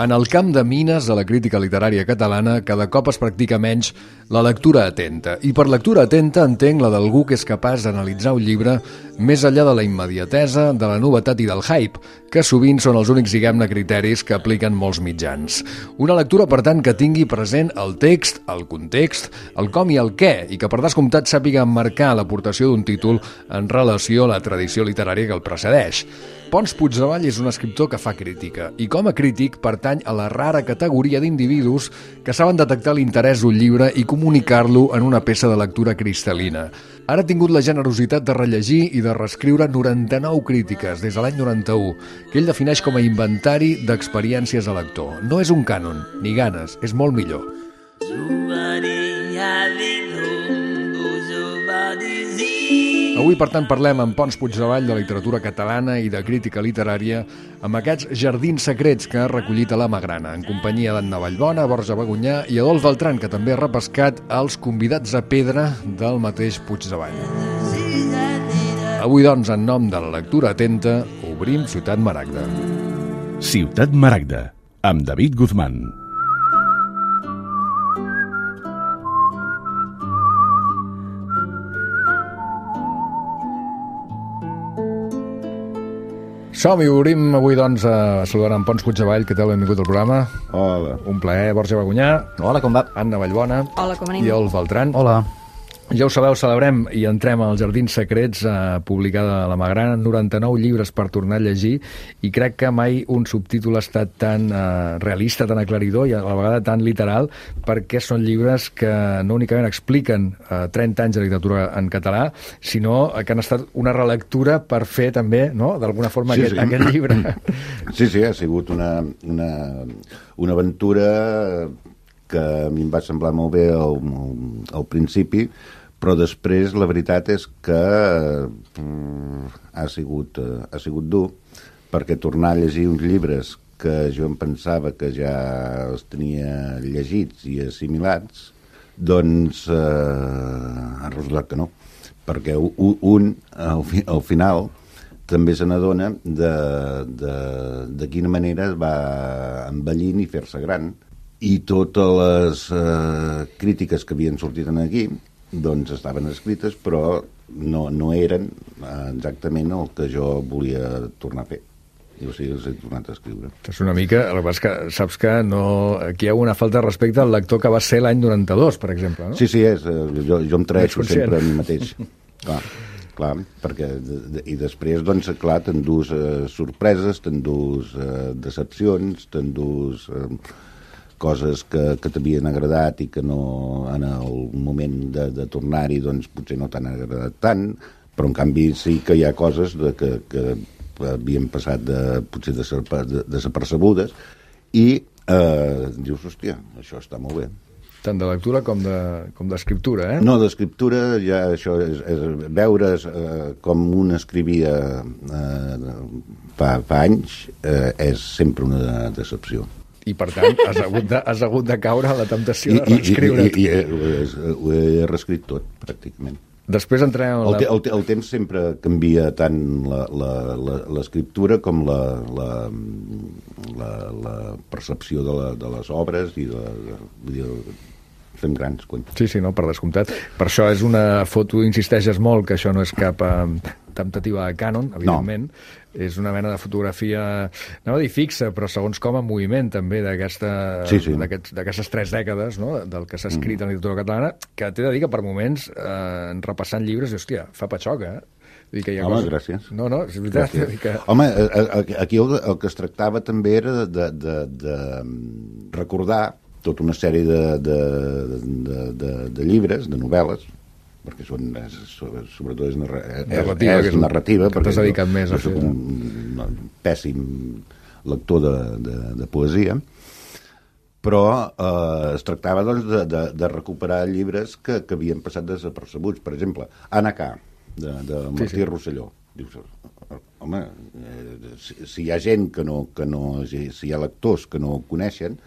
En el camp de mines de la crítica literària catalana cada cop es practica menys la lectura atenta. I per lectura atenta entenc la d'algú que és capaç d'analitzar un llibre més enllà de la immediatesa, de la novetat i del hype, que sovint són els únics, diguem-ne, criteris que apliquen molts mitjans. Una lectura, per tant, que tingui present el text, el context, el com i el què, i que per descomptat sàpiga emmarcar l'aportació d'un títol en relació a la tradició literària que el precedeix. Pons Puigdevall és un escriptor que fa crítica i com a crític pertany a la rara categoria d'individus que saben detectar l'interès d'un llibre i comunicar-lo en una peça de lectura cristal·lina. Ara ha tingut la generositat de rellegir i de reescriure 99 crítiques des de l'any 91, que ell defineix com a inventari d'experiències a lector. No és un cànon, ni ganes, és molt millor. Avui, per tant, parlem amb Pons Puigdevall de literatura catalana i de crítica literària amb aquests jardins secrets que ha recollit a la Magrana, en companyia d'Anna Vallbona, Borja Bagunyà i Adolf Beltran, que també ha repescat els convidats a pedra del mateix Puigdevall. Avui, doncs, en nom de la lectura atenta, obrim Ciutat Maragda. Ciutat Maragda, amb David Guzmán. Som-hi, obrim avui, doncs, saludant en Pons Puigdevall, que tal, benvingut al programa. Hola. Un plaer, Borja Bagunyà. Hola, com va? Anna Vallbona. Hola, com anem? I Adolf Beltran. Hola. Ja ho sabeu, celebrem i entrem als Jardins Secrets, publicada a la Magrana, 99 llibres per tornar a llegir, i crec que mai un subtítol ha estat tan realista, tan aclaridor i a la vegada tan literal, perquè són llibres que no únicament expliquen 30 anys de literatura en català, sinó que han estat una relectura per fer també, no?, d'alguna forma, aquest llibre. Sí, ha sigut una aventura que a mi em va semblar molt bé al principi, però després la veritat és que ha sigut dur, perquè tornar a llegir uns llibres que jo em pensava que ja els tenia llegits i assimilats, doncs ha resultat que no, perquè un al final també se n'adona de quina manera va envellint i fer-se gran. I totes les crítiques que havien sortit aquí doncs estaven escrites, però no eren exactament el que jo volia tornar a fer. I o sigui, els he tornat a escriure. És una mica, el que passa que saps que aquí hi ha una falta de respecte al lector que va ser l'any 92, per exemple, no? Sí, jo em traeixo sempre a mi mateix. Clar, perquè i després, doncs, clar, t'endús sorpreses, t'endús decepcions, t'endús coses que t'havien agradat i que no, en el moment de tornar-hi, doncs potser no t'han agradat tant, però en canvi sí que hi ha coses que havien passat potser desapercebudes i dius, hòstia, això està molt bé. Tant de lectura com d'escriptura, eh? No, d'escriptura ja això és veure's com un escrivia fa anys és sempre una decepció. I, per tant, has hagut de caure a la temptació de reescriure. I ho he reescrit tot, pràcticament. Després entrem... El temps sempre canvia tant l'escriptura com la percepció de les obres i fem grans. Sí, no, per descomptat. Per això és una foto, insisteixes molt, que això no és cap temptativa de cànon, evidentment. No. És una mena de fotografia, no a dir fixa, però segons com en moviment, també, d'aquestes 3 dècades, no?, del que s'ha escrit en literatura catalana, que t'he de dir que per moments, repassant llibres, hòstia, fa patxoca, Home, gràcies. No, és veritat. Home, aquí el que es tractava també era de recordar tota una sèrie de llibres, de novel·les, perquè sobretot és narrativa, perquè t'has dedicat més a fer. Soc un pèssim lector de poesia, però es tractava doncs, de recuperar llibres que havien passat desapercebuts. Per exemple, Anna K, de Martí Rosselló. Dius, home, si hi ha gent si hi ha lectors que no ho coneixen,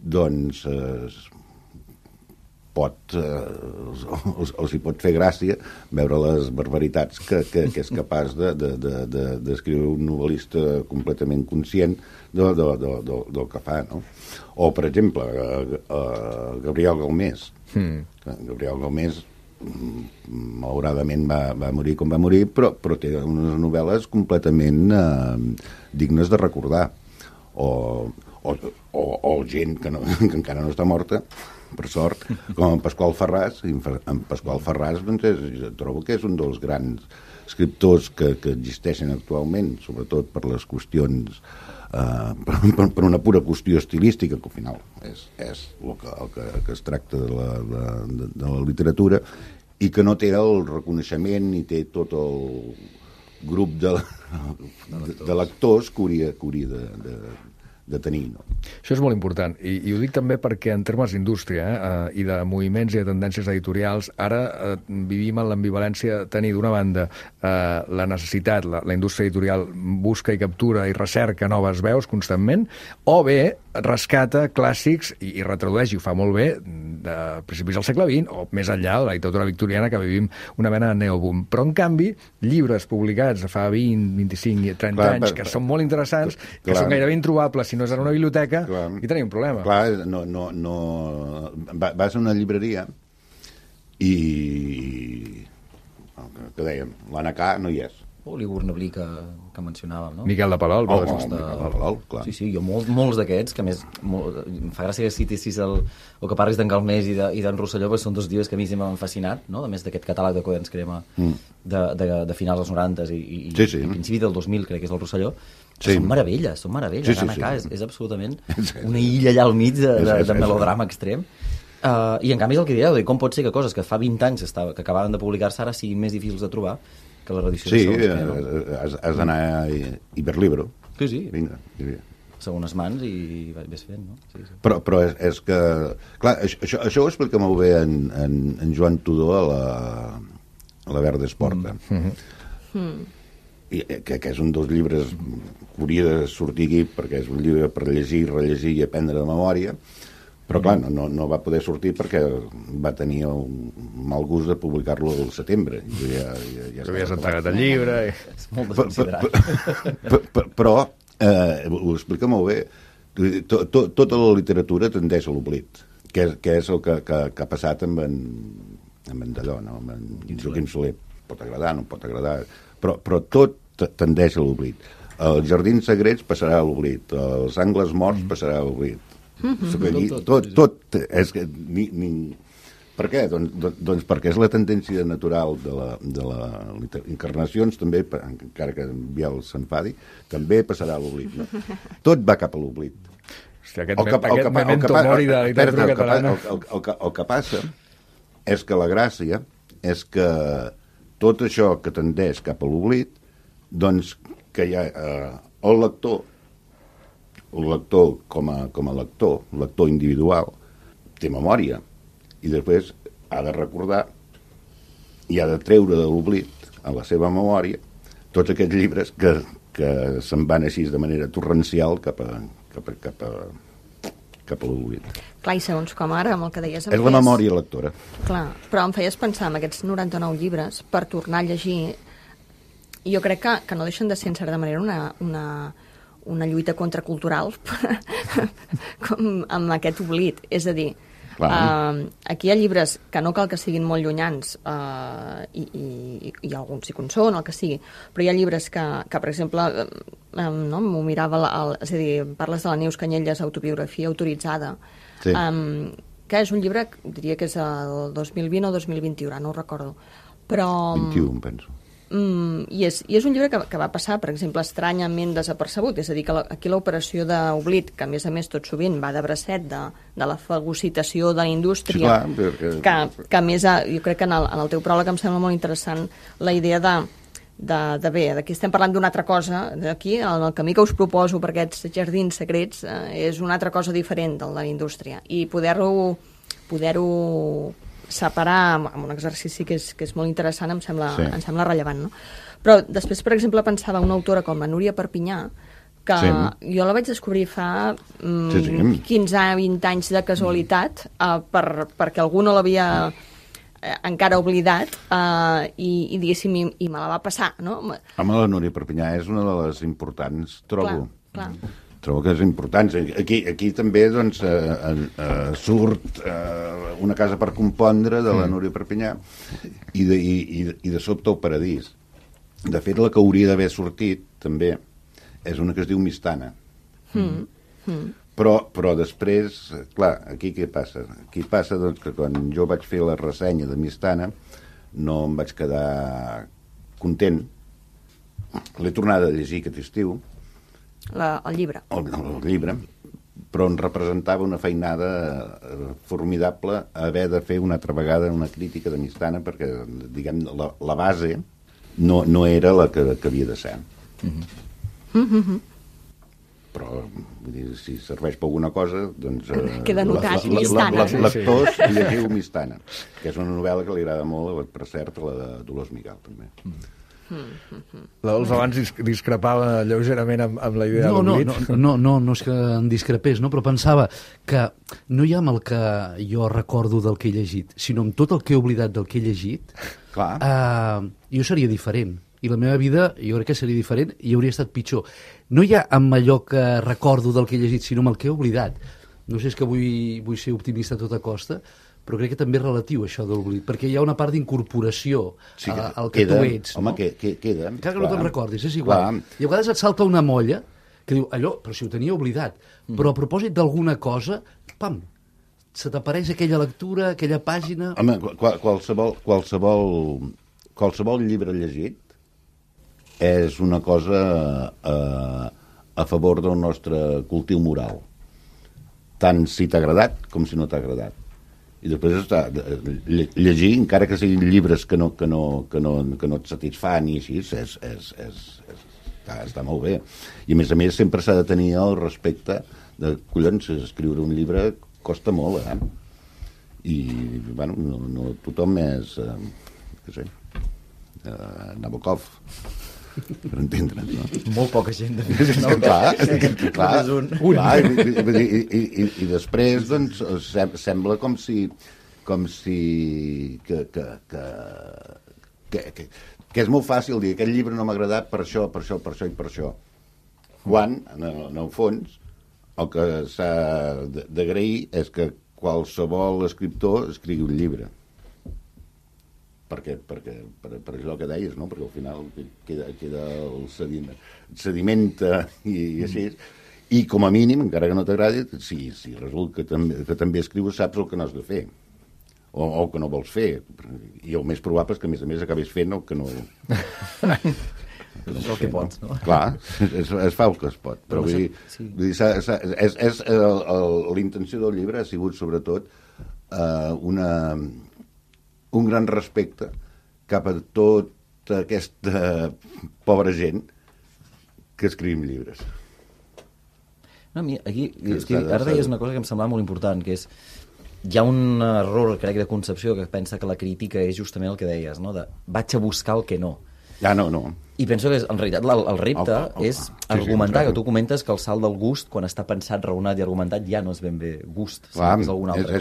doncs els hi pot fer gràcia veure les barbaritats que és capaç d'escriure un novel·lista completament conscient del que fa, no? O, per exemple, Gabriel Galmés. Gabriel Galmés malauradament va morir com va morir, però té unes novel·les completament dignes de recordar. O gent que encara no està morta, per sort, com en Pasqual Ferràs. En Pasqual Ferràs, doncs, trobo que és un dels grans escriptors que existeixen actualment, sobretot per les qüestions, per una pura qüestió estilística, que al final és el que es tracta de la literatura, i que no té el reconeixement ni té tot el grup de lectors que hauria de tenir, no? Això és molt important, i ho dic també perquè en termes d'indústria i de moviments i de tendències editorials, ara vivim en l'ambivalència de tenir d'una banda la necessitat, la indústria editorial busca i captura i recerca noves veus constantment, o bé rescata clàssics i retradueix, i ho fa molt bé, de principis del segle XX, o més enllà de la literatura victoriana, que vivim una mena de neoboom. Però, en canvi, llibres publicats fa 20, 25 i 30 anys, que són molt interessants, que són gairebé introbables si no és en una biblioteca, i tenim un problema. Clar, vas a una llibreria i, que dèiem, l'Anacà no hi és. O l'Igornablí que mencionàvem, no? Miquel de Palol. Miquel de Palol, clar. Sí, jo molts d'aquests, que a més em fa gràcia que citis o que parlis d'en Galmés i d'en Rosselló, perquè són dos llibres que a mi sempre m'han fascinat, no? A més d'aquest catàleg de Quaderns Crema de finals dels 90 i principi del 2000, crec que és el Rosselló, són meravelles. L'Anacà és absolutament una illa allà al mig de melodrama extrem. I en canvi és el que dieu, com pot ser que coses que fa 20 anys que acabaven de publicar-se ara siguin més difícils de trobar que la reedició de segons. Has d'anar a Iberlibro. Sí. Vinga. Segones mans i ves fent, no? Sí. Però és que... Clar, això ho explica molt bé en Joan Tudó a la Verdes Porta. I que és un dels llibres que hauria de sortir aquí, perquè és un llibre per llegir, rellegir i aprendre de memòria, però clar, no va poder sortir perquè va tenir el mal gust de publicar-lo al setembre. Ja havies entregat el llibre. És molt desconsiderat. Però ho explica molt bé. Tota la literatura tendeix a l'oblit, que és el que ha passat amb en Dallò, no? Amb en Joaquim Soler. Pot agradar, no pot agradar, però tot tendeix a l'oblit. Els jardins sagrets passarà a l'oblit, els angles morts passarà a l'oblit. Tot és que per què? Doncs perquè és la tendència natural de la encarnacions també, encara que Biel s'enfadi, també passarà a l'oblit, no? Tot va cap a l'oblit. Aquest memento mori de la literatura catalana. El que passa és que la gràcia és que tot això que tendeix cap a l'oblit, doncs que hi ha el lector com a lector individual, té memòria, i després ha de recordar i ha de treure de l'oblit a la seva memòria tots aquests llibres que se'n van així de manera torrencial cap a l'oblit. Clar, i segons com ara, amb el que deies... És la memòria lectora. Clar, però em feies pensar en aquests 99 llibres per tornar a llegir, i jo crec que no deixen de ser, en certa manera, una lluita contracultural amb aquest oblit. És a dir, aquí hi ha llibres que no cal que siguin molt llunyans, i alguns sí que en són, el que sigui, però hi ha llibres que per exemple, m'ho mirava, és a dir, parles de la Neus Canyelles, Autobiografia autoritzada, que és un llibre, diria que és el 2020 o 2021, ara no ho recordo, però... 21, penso. I és un llibre que va passar, per exemple, estranyament desapercebut, és a dir, que aquí l'operació d'oblit, que a més tot sovint va de bracet de la fagocitació de la indústria, que a més jo crec que en el teu pròleg em sembla molt interessant la idea d'aquí estem parlant d'una altra cosa, aquí el camí que us proposo per aquests jardins secrets és una altra cosa diferent del de la indústria, i poder-ho separar amb un exercici que és molt interessant, em sembla rellevant, no? Però després, per exemple, pensava una autora com la Núria Perpinyà, que Sí. jo la vaig descobrir fa Sí. 15-20 anys de casualitat, perquè algú no l'havia encara oblidat, i diguéssim, i me la va passar, no? Home, la Núria Perpinyà és una de les importants, trobo. Clar. Trobo que és important. Aquí també doncs, surt una casa per compondre de la Núria Perpinyà i de sobte el Paradís. De fet, la que hauria d'haver sortit també és una que es diu Mistana. Però després, clar, aquí què passa? Aquí passa doncs, que quan jo vaig fer la ressenya de Mistana no em vaig quedar content. L'he tornada a llegir aquest estiu, El llibre. el llibre, però em representava una feinada formidable haver de fer una altra vegada una crítica de Mistana, perquè, diguem, la base no era la que havia de ser. Però, vull dir, si serveix per alguna cosa, doncs... Queda notat, Mistana. Lectors, llegiu Mistana, que és una novel·la que li agrada molt, per cert, la de Dolors Miguel, també. La Dols abans discrepava lleugerament amb la idea de l'oblit. No és que en discrepés, no? Però pensava que no hi ha amb el que jo recordo del que he llegit, sinó amb tot el que he oblidat del que he llegit, jo seria diferent. I la meva vida, jo crec que seria diferent i hauria estat pitjor. No hi ha amb allò que recordo del que he llegit, sinó amb el que he oblidat. No sé, és que vull ser optimista a tota costa, però crec que també és relatiu això de l'oblit, perquè hi ha una part d'incorporació al que tu ets. Home, no? queda. Encara que no te'n recordis, és igual. I a vegades et salta una molla que diu, allò, però si ho tenia oblidat. Però a propòsit d'alguna cosa, pam, se t'apareix aquella lectura, aquella pàgina... Home, qualsevol llibre llegit és una cosa a favor del nostre cultiu moral. Tant si t'ha agradat com si no t'ha agradat. I després està llegir, encara que siguin llibres que no et satisfan i així, està molt bé. I a més sempre s'ha de tenir el respecte de, collons, escriure un llibre costa molt, I, bueno, no tothom és, què sé, Nabokov, per entendre'ns, no? Molt poca gent. Clar, i després, doncs, sembla com si que és molt fàcil dir aquest llibre no m'ha agradat per això i per això. Quan, en el fons, el que s'ha d'agrair és que qualsevol escriptor escrigui un llibre. Per això que deies, no? Perquè al final queda el sedimenta i així. I com a mínim, encara que no t'agradi, si resulta que també escrius, saps el que no has de fer o el que no vols fer. I el més probable és que, a més acabis fent el que no... És el que pots, no? Clar, es fa el que es pot. Però vull dir, l'intenció del llibre ha sigut, sobretot, un gran respecte cap a tota aquesta pobra gent que escrivim llibres. No, aquí, ara deies una cosa que em semblava molt important, que és hi ha un error, crec, de concepció que pensa que la crítica és justament el que deies, no? De vaig a buscar el que no. No. I penso que, en realitat, el repte és argumentar, que tu comentes que el salt del gust, quan està pensat, raonat i argumentat, ja no és ben bé gust. Clar, és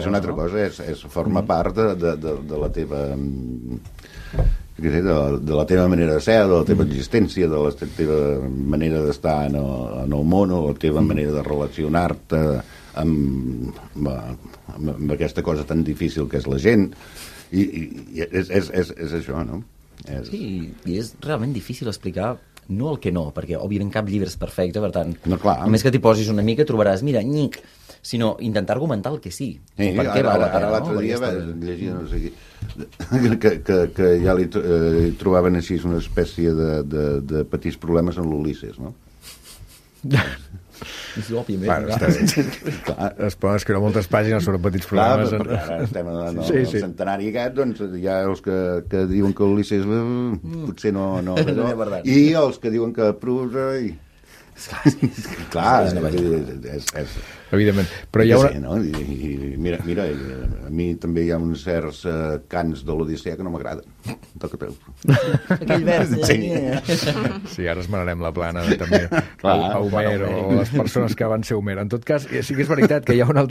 una altra cosa, forma part de la teva... de la teva manera de ser, de la teva existència, de la teva manera d'estar en el món, o la teva manera de relacionar-te amb aquesta cosa tan difícil que és la gent. I és això, no? Sí, i és realment difícil explicar no el que no, perquè òbviament cap llibre és perfecte, per tant, només que t'hi posis una mica trobaràs, mira, nyic, sinó intentar argumentar el que sí. Per què val la pena, no? L'altre dia llegia, no sé qui, que ja li trobaven així una espècie de petits problemes en l'Ulisses, no? Sí, òbviament. Bueno, es poden escriure moltes pàgines sobre petits problemes. Clar, perquè ara estem en el centenari aquest, doncs hi ha els que diuen que l'Ulisses potser no... I els que diuen que Proust... Clar, evidentment. Però hi ha una... no? I mira, a mi també hi ha uns certs cants de l'Odissea que no m'agraden. Toca peu. Aquell vers. Sí, ara esmenarem la plana també a Homer o les persones que van ser Homer. En tot cas, sí que és veritat que hi ha una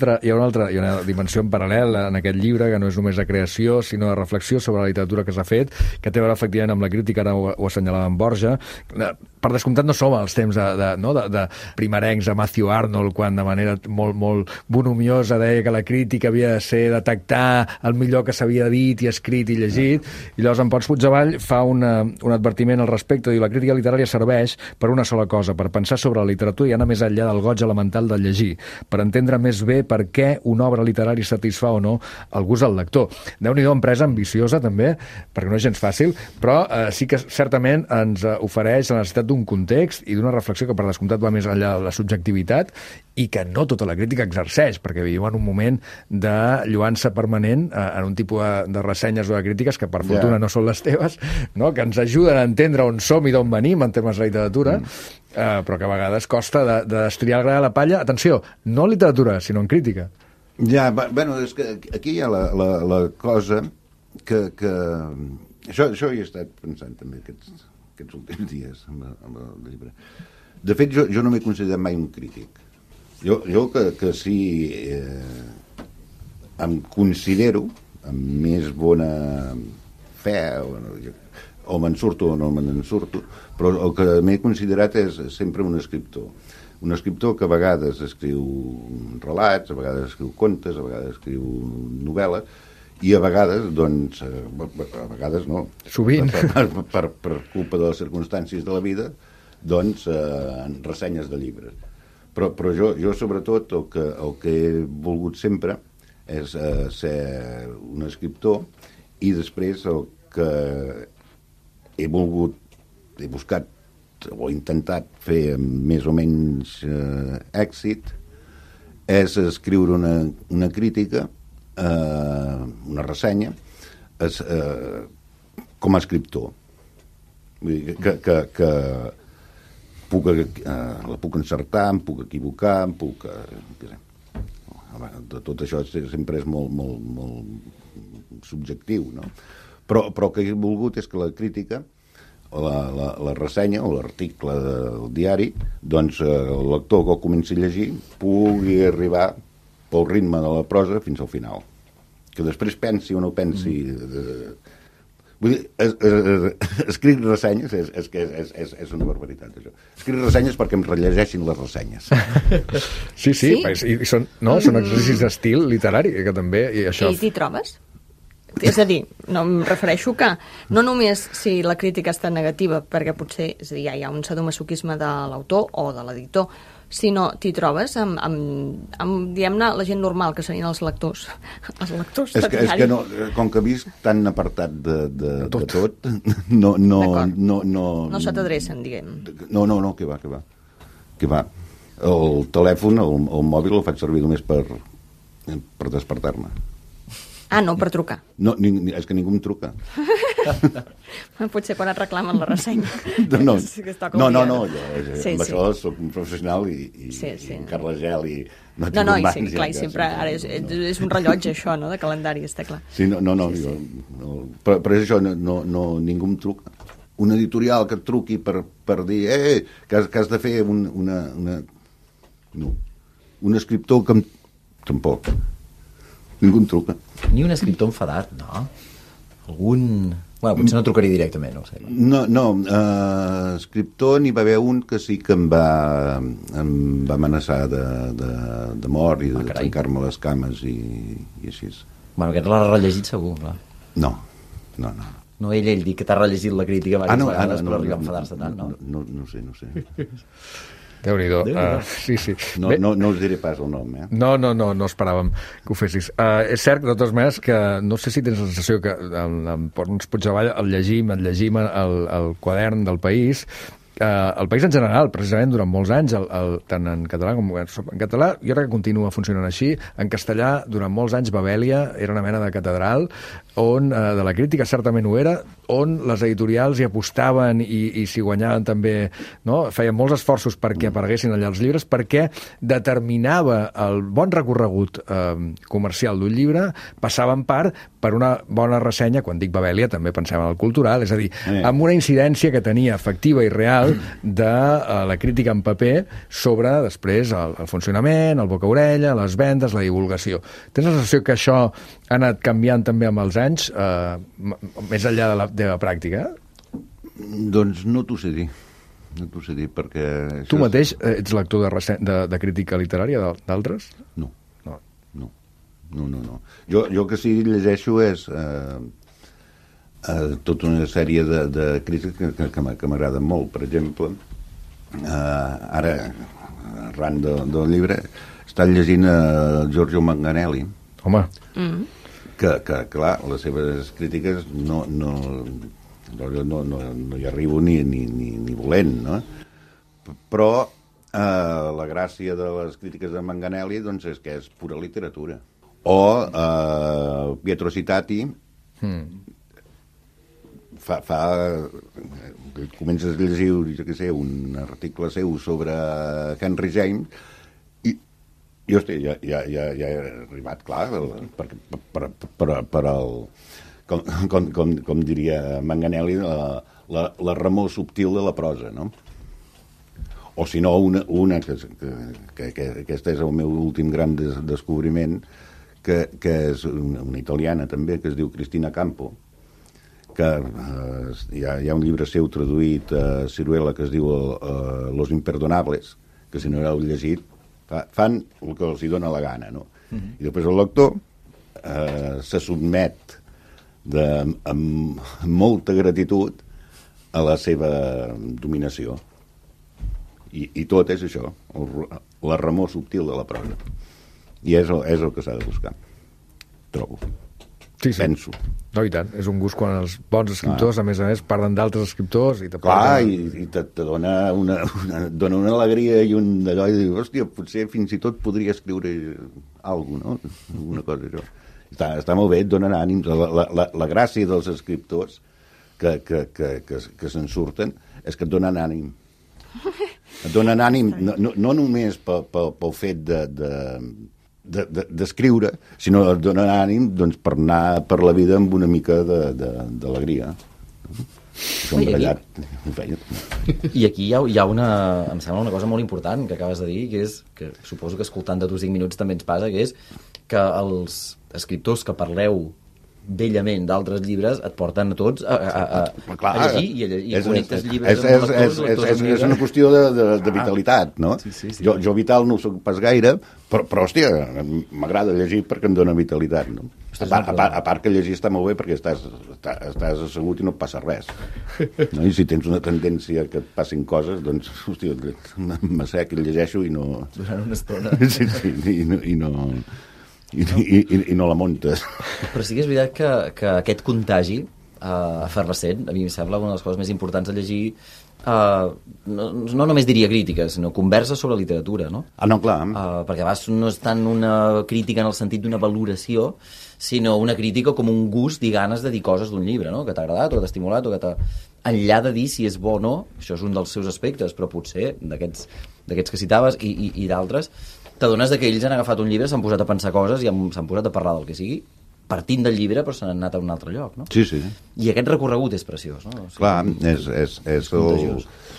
dimensió en paral·lel en aquest llibre, que no és només de creació, sinó de reflexió sobre la literatura que s'ha fet, que té a veure efectivament amb la crítica, ara ho assenyalava en Borja. Per descomptat no som als temps de primerencs, a Matthew Arnold, quan de manera molt bonhomiosa deia que la crítica havia de ser detectar el millor que s'havia dit i escrit i llegit, i llavors en Pons Puigdevall fa un advertiment al respecte, diu: la crítica literària serveix per una sola cosa, per pensar sobre la literatura i anar més enllà del goig elemental del llegir, per entendre més bé per què una obra literària satisfà o no el gust del lector. Déu-n'hi-do, empresa ambiciosa també, perquè no és gens fàcil, però sí que certament ens ofereix la necessitat d'un context i d'una reflexió que per descomptat va més enllà de la subjectivitat i que no tota la crítica exerceix, perquè vivim en un moment de lluança permanent en un tipus de ressenyes o de crítiques que per fortuna no són les teves, no? Que ens ajuden a entendre on som i d'on venim en termes de literatura, però que a vegades costa de destriar el gra de la palla. Atenció, no en literatura, sinó en crítica. Ja, bueno, és que aquí hi ha la cosa que això hi he estat pensant també aquests últims dies amb el llibre. De fet, jo no m'he considerat mai un crític. Jo que sí em considero amb més bona fe o me'n surto o no me'n surto, però el que m'he considerat és sempre un escriptor que a vegades escriu relats, a vegades escriu contes, a vegades escriu novel·les, i a vegades, doncs, a vegades no, sovint, per culpa de les circumstàncies de la vida, doncs, en ressenyes de llibres. Però jo sobretot, el que he volgut sempre és ser un escriptor, i després el que he buscat o intentat fer amb més o menys èxit és escriure una crítica, una ressenya, com a escriptor. Vull dir que la puc encertar, em puc equivocar, tot això sempre és molt subjectiu, no? Però el que he volgut és que la crítica, o la ressenya o l'article del diari, doncs el lector que ho comenci a llegir pugui arribar pel ritme de la prosa fins al final. Que després pensi o no pensi... Vull dir, escric ressenyes és una barbaritat, això. Escric ressenyes perquè em rellegeixin les ressenyes. Sí? I són exercicis d'estil literari, que també... I t'hi trobes? És a dir, no em refereixo que no només si la crítica està negativa, perquè potser hi ha un sadomasoquisme de l'autor o de l'editor, sinó t'hi trobes amb diguem-ne, la gent normal, que serien els lectors. Els lectors de diari. És que no, com que he vist tan apartat de tot, no se t'adrecen, diguem. No, que va. El telèfon, el mòbil, el faig servir només per despertar-me. Ah, no, per trucar. No, és que ningú em truca. Potser quan et reclamen la ressenya. No, això soc un professional i encara la gel i no tinc un banc. Clar, i sempre ara és un rellotge això, no?, de calendari, està clar. Sí, però és això, ningú em truca. Un editorial que et truqui per dir que has de fer un escriptor que tampoc. Ningú em truca. Ni un escriptor enfadat, no? Algun... Bueno, potser no trucaria directament, no ho sé. No, escriptor n'hi va haver un que sí que em va amenaçar de mort i de trencar-me les cames i així. Bueno, aquest l'ha rellegit segur, clar. No. No, ell diu que t'ha rellegit la crítica diverses vegades per arribar a enfadar-se tant, no? No sé. Déu-n'hi-do. Sí. No us diré pas el nom, No esperàvem que ho fessis. És cert, de totes maneres, que no sé si tens la sensació que en Pons Puigdevall el llegim el quadern del País el País en general, precisament durant molts anys, tant en català com en català, jo crec que continua funcionant així. En castellà, durant molts anys, Babèlia era una mena de catedral on, de la crítica certament ho era, on les editorials hi apostaven i s'hi guanyaven també, no? Feien molts esforços perquè apareguessin allà els llibres, perquè determinava el bon recorregut comercial d'un llibre, passava en part per una bona ressenya, quan dic Babèlia també pensem en el cultural, és a dir, amb una incidència que tenia efectiva i real de la crítica en paper sobre, després, el funcionament, el boca-orella, les vendes, la divulgació. Tens la sensació que això ha anat canviant també amb els anys, més enllà de la pràctica? Doncs no t'ho sé dir. No t'ho sé dir, perquè... Tu mateix ets lector de crítica literària d'altres? No. No. Jo que sí llegeixo és tota una sèrie de crítiques que m'agraden molt. Per exemple, ara, arran del llibre, estan llegint Giorgio Manganelli. Home. Que clar, les seves crítiques no hi arribo ni volent, no? Però la gràcia de les crítiques de Manganelli doncs, és que és pura literatura. O Pietro Citati comences a llegir, jo què sé, un article seu sobre Henry James i hòstia, ja he arribat, clar, per el, com diria Manganelli, la remor subtil de la prosa, no? O si no, una que aquest és el meu últim gran descobriment, que és una italiana també, que es diu Cristina Campo, que hi ha un llibre seu traduït a Ciruela que es diu Los Imperdonables, que si no l'heu llegit fan el que els hi dona la gana, no? I després el lector se sotmet amb molta gratitud a la seva dominació. I tot és això, la remor subtil de la prosa. I és el que s'ha de buscar, trobo. Sí. Penso. No, i tant. És un gust quan els bons escriptors, a més, parlen d'altres escriptors i te dona una alegria i un d'allò, i dius, hòstia, potser fins i tot podria escriure alguna cosa, no? Alguna cosa, això. Està molt bé, et donen ànims. La gràcia dels escriptors que se'n surten és que et donen ànim. Et donen ànim no només pel fet d'escriure, sinó et donen ànim doncs, per anar per la vida amb una mica d'alegria. I aquí hi ha una, em sembla una cosa molt important que acabes de dir, que és, que suposo que escoltant-te tu 5 minuts també ens passa, que és que els escriptors que parleu bellament d'altres llibres et porten a tots a llegir i connectes llibres amb lectors. És una qüestió de vitalitat, no? Sí. Jo vital no ho soc pas gaire, però hòstia, m'agrada llegir perquè em dona vitalitat, no? A part que llegir està molt bé perquè estàs assegut i no et passa res, no? I si tens una tendència que et passin coses, doncs, hòstia, m'assec i llegeixo i no... Durant una estona. Sí, i no la muntes. Però sí que és veritat que aquest contagi efervescent, a mi em sembla una de les coses més importants de llegir, no només diria crítiques, sinó converses sobre literatura, no? No, clar. Perquè a vegades no és tant una crítica en el sentit d'una valoració, sinó una crítica com un gust i ganes de dir coses d'un llibre, no? Que t'ha agradat o que t'ha estimulat o que t'ha... Enllà de dir si és bo o no, això és un dels seus aspectes, però potser d'aquests que citaves i d'altres, t'adones que ells han agafat un llibre, s'han posat a pensar coses i s'han posat a parlar del que sigui, partint del llibre, però s'han anat a un altre lloc, no? Sí. I aquest recorregut és preciós, no? O sigui,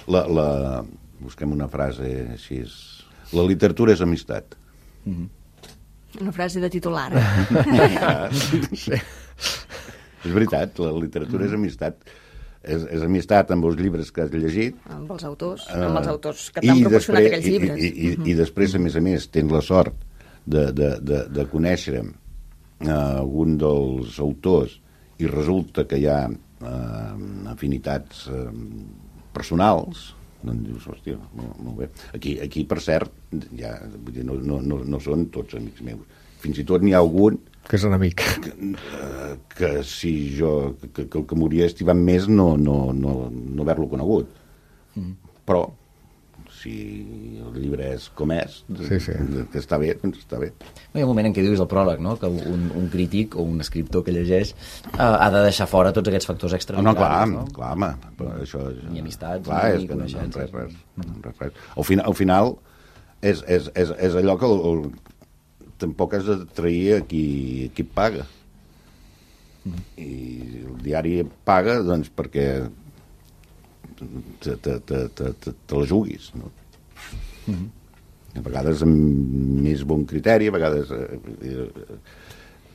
clar, busquem una frase així. La literatura és amistat. Una frase de titular. És veritat, la literatura és amistat. És amistat amb els llibres que has llegit. Amb els autors que t'han proporcionat aquells llibres. I després, a més, tens la sort de conèixer algun dels autors i resulta que hi ha afinitats personals, doncs dius, hòstia, molt bé. Aquí per cert, ja, no són tots amics meus. Fins i tot n'hi ha algun que és enemic. Que si jo, que el que m'hauria estimat més no haver-lo conegut. però si el llibre és com és, que està bé, doncs està bé. Hi ha un moment en què dius el pròleg, no? Que un crític o un escriptor que llegeix ha de deixar fora tots aquests factors extraordinaris. Clar, home. Això, ni amistats, clar, ni coneixences. Res. Al final és allò que tampoc has de trair a qui et paga. I el diari paga, doncs, perquè te la juguis, no? A vegades amb més bon criteri, a vegades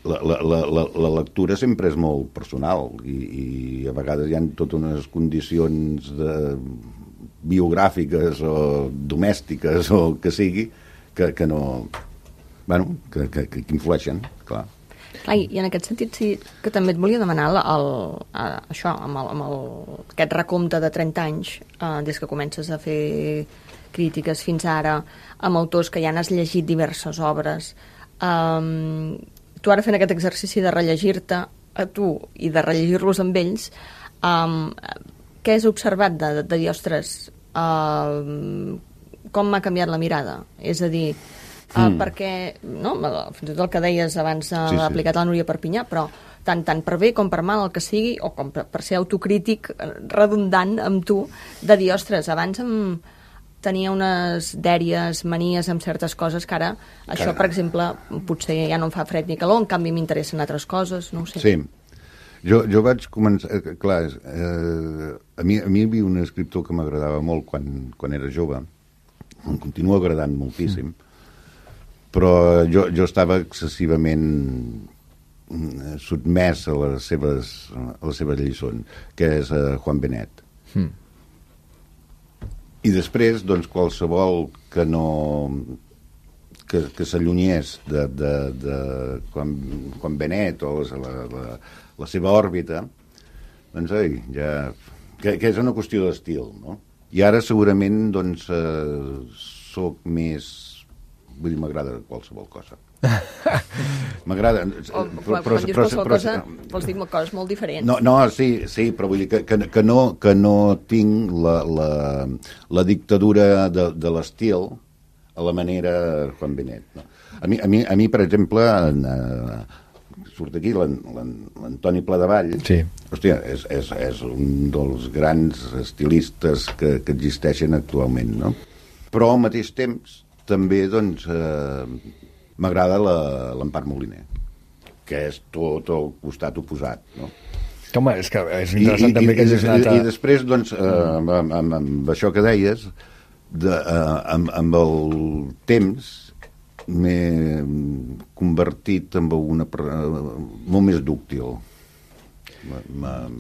la lectura sempre és molt personal i a vegades hi ha totes unes condicions biogràfiques o domèstiques o que sigui que no, bueno, que influeixen, clar. Clar, i en aquest sentit sí que també et volia demanar això, aquest recompte de 30 anys, des que comences a fer crítiques fins ara, amb autors que ja n'has llegit diverses obres. Tu ara fent aquest exercici de rellegir-te a tu i de rellegir-los amb ells, què has observat de dir, ostres, com m'ha canviat la mirada? És a dir, perquè, no, fins i tot el que deies abans aplicat a la Núria Perpinyà, però tant per bé com per mal el que sigui, o com per ser autocrític redundant amb tu, de dir, ostres, abans tenia unes dèries, manies amb certes coses que ara, això, per exemple, potser ja no em fa fred ni calor, en canvi m'interessen altres coses, no ho sé. Sí. Jo vaig començar... Clar, a mi hi havia un escriptor que m'agradava molt quan era jove, em continua agradant moltíssim, però jo estava excessivament sotmès a les seves lliçons, que és Juan Benet. I després, doncs, qualsevol que no... que s'allunyés de Juan Benet o la seva òrbita, doncs, ja... que és una qüestió d'estil, no? I ara segurament, doncs, soc més... Vull dir, m'agrada qualsevol cosa. M'agrada... Quan dius qualsevol cosa, vols dir coses molt diferents. No, sí, però vull dir que no tinc la dictadura de l'estil a la manera Juan Benet. No? A mi, per exemple, surt aquí l'Antoni Pladevall. Sí. Hòstia, és un dels grans estilistes que existeixen actualment, no? Però al mateix temps també, doncs, m'agrada l'Empar Moliner, que és tot el costat oposat, no? Home, és que és interessant també que hagis anat a... I després, doncs, amb això que deies, amb el temps m'he convertit en una molt més dúctil.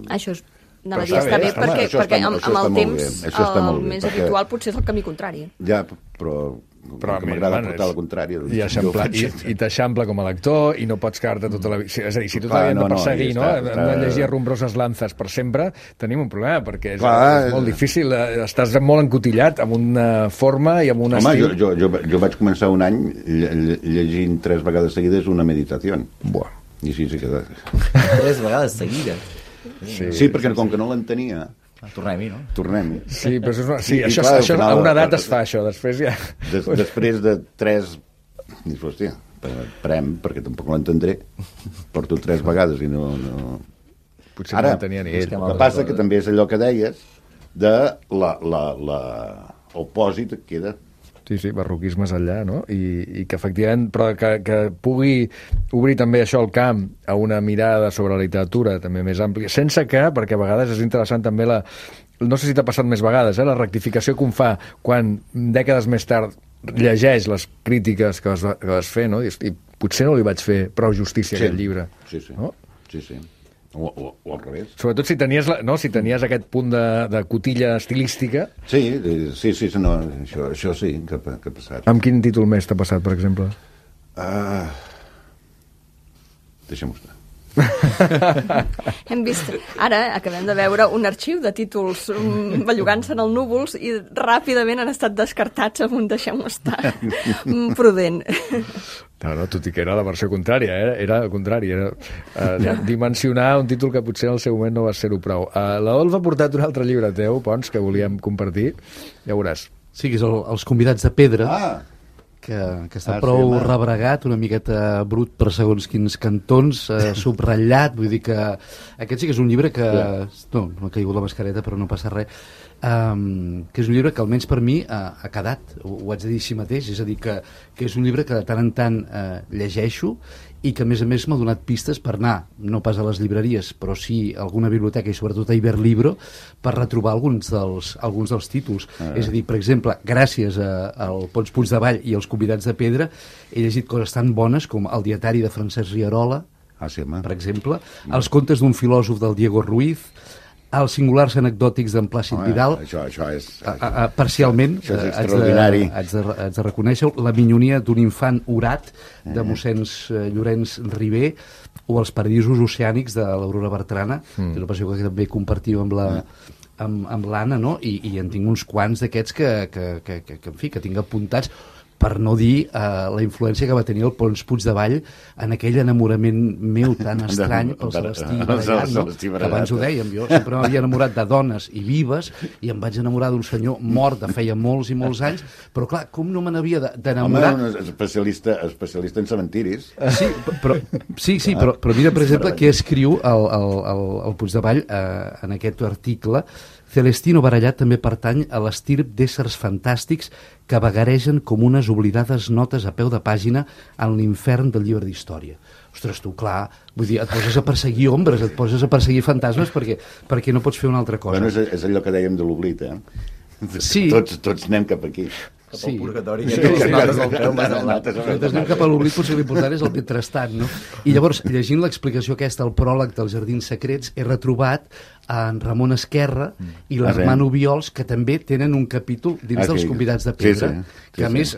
Això és... Anava a dir, està bé, perquè amb el temps el més habitual potser és el camí contrari. Ja, però m'agrada portar la contrària. I t'eixampla com a lector i no pots quedar-te tota la vida. És a dir, si tu t'havies de perseguir, no? Hem de llegir Rumbroses Lanzas per sempre, tenim un problema, perquè és molt difícil. Estàs molt encotillat amb una forma i amb un estil. Home, jo vaig començar un any llegint 3 vegades seguides una meditació. Buah. I sí que... 3 vegades seguides? Sí, perquè com que no l'entenia... Tornem-hi, no? Tornem-hi. Sí, però això a una edat es fa, això. Després ja... Després de 3... Dius, hòstia, parem, perquè tampoc l'entendré. Porto 3 vegades i no... Potser no l'entenia ni ell. El que passa que també és allò que deies de el pòsit que queda... Sí, barroquismes enllà, no? I que efectivament, però que pugui obrir també això el camp a una mirada sobre la literatura també més àmplia, sense que, perquè a vegades és interessant també no sé si t'ha passat més vegades, la rectificació que un fa quan dècades més tard llegeix les crítiques que vas fer, no? I potser no li vaig fer prou justícia a aquest llibre. Sí. No? Sí. O al revés. Sobretot si tenies aquest punt de cotilla estilística. Sí, no, això sí que ha passat. Amb quin títol més t'ha passat, per exemple? Deixem-ho estar. Hem vist... Ara acabem de veure un arxiu de títols bellugant-se en el núvols i ràpidament han estat descartats amb un deixem-ho estar prudent. No, tot i que era la versió contrària, era el contrari, era dimensionar un títol que potser en el seu moment no va ser-ho prou. L'Olf ha portat un altre llibre teu, Pons, que volíem compartir, ja veuràs. Sí, que és Els convidats de pedra, que està prou rebregat, una miqueta brut per segons quins cantons, subratllat, vull dir que aquest sí que és un llibre que... No m'ha caigut la mascareta, però no passa res. Que és un llibre que almenys per mi ha quedat, ho haig de dir així mateix, és a dir, que és un llibre que de tant en tant llegeixo i que a més m'ha donat pistes per anar, no pas a les llibreries, però sí a alguna biblioteca i sobretot a Iberlibro, per retrobar alguns dels títols. És a dir, per exemple, gràcies al Pons Puigdevall i als convidats de pedra, he llegit coses tan bones com el dietari de Francesc Rierola, per exemple, els contes d'un filòsof del Diego Ruiz, els singulars anecdòtics d'en Plàcid Vidal. Això és... Parcialment, això és extraordinari. Haig de reconèixer-ho, la minyonia d'un infant orat de mossèn Llorenç Ribé, o els paradisos oceànics de l'Aurora Bertrana, que és una passió que també compartim amb l'Anna, no? I en tinc uns quants d'aquests que en fi, que tinc apuntats, per no dir la influència que va tenir el Pons Puigdevall en aquell enamorament meu tan estrany pel Celestí Barallat, no? Que abans ho dèiem, jo sempre m'havia enamorat de dones i vives i em vaig enamorar d'un senyor mort de feia molts i molts anys, però clar, com no me n'havia d'enamorar... Home, un especialista en cementiris. Sí, però mira, per exemple, què escriu el Puigdevall en aquest article. Celestino Barallat també pertany a l'estirp d'éssers fantàstics que vagaregen com unes oblidades notes a peu de pàgina en l'infern del llibre d'història. Ostres, tu, clar, vull dir, et poses a perseguir ombres, et poses a perseguir fantasmes perquè no pots fer una altra cosa. Bueno, és allò que dèiem de l'oblit, Sí. Tots anem cap aquí. Cap al purgatori, que les notes del peu més enlat. Nosaltres anem cap a l'oblit, potser l'important és el mentrestant, no? I llavors, llegint l'explicació aquesta, el pròleg dels Jardins Secrets, he retrobat en Ramon Esquerra i l'Hermano Viols, que també tenen un capítol dins dels convidats de pedra, que a més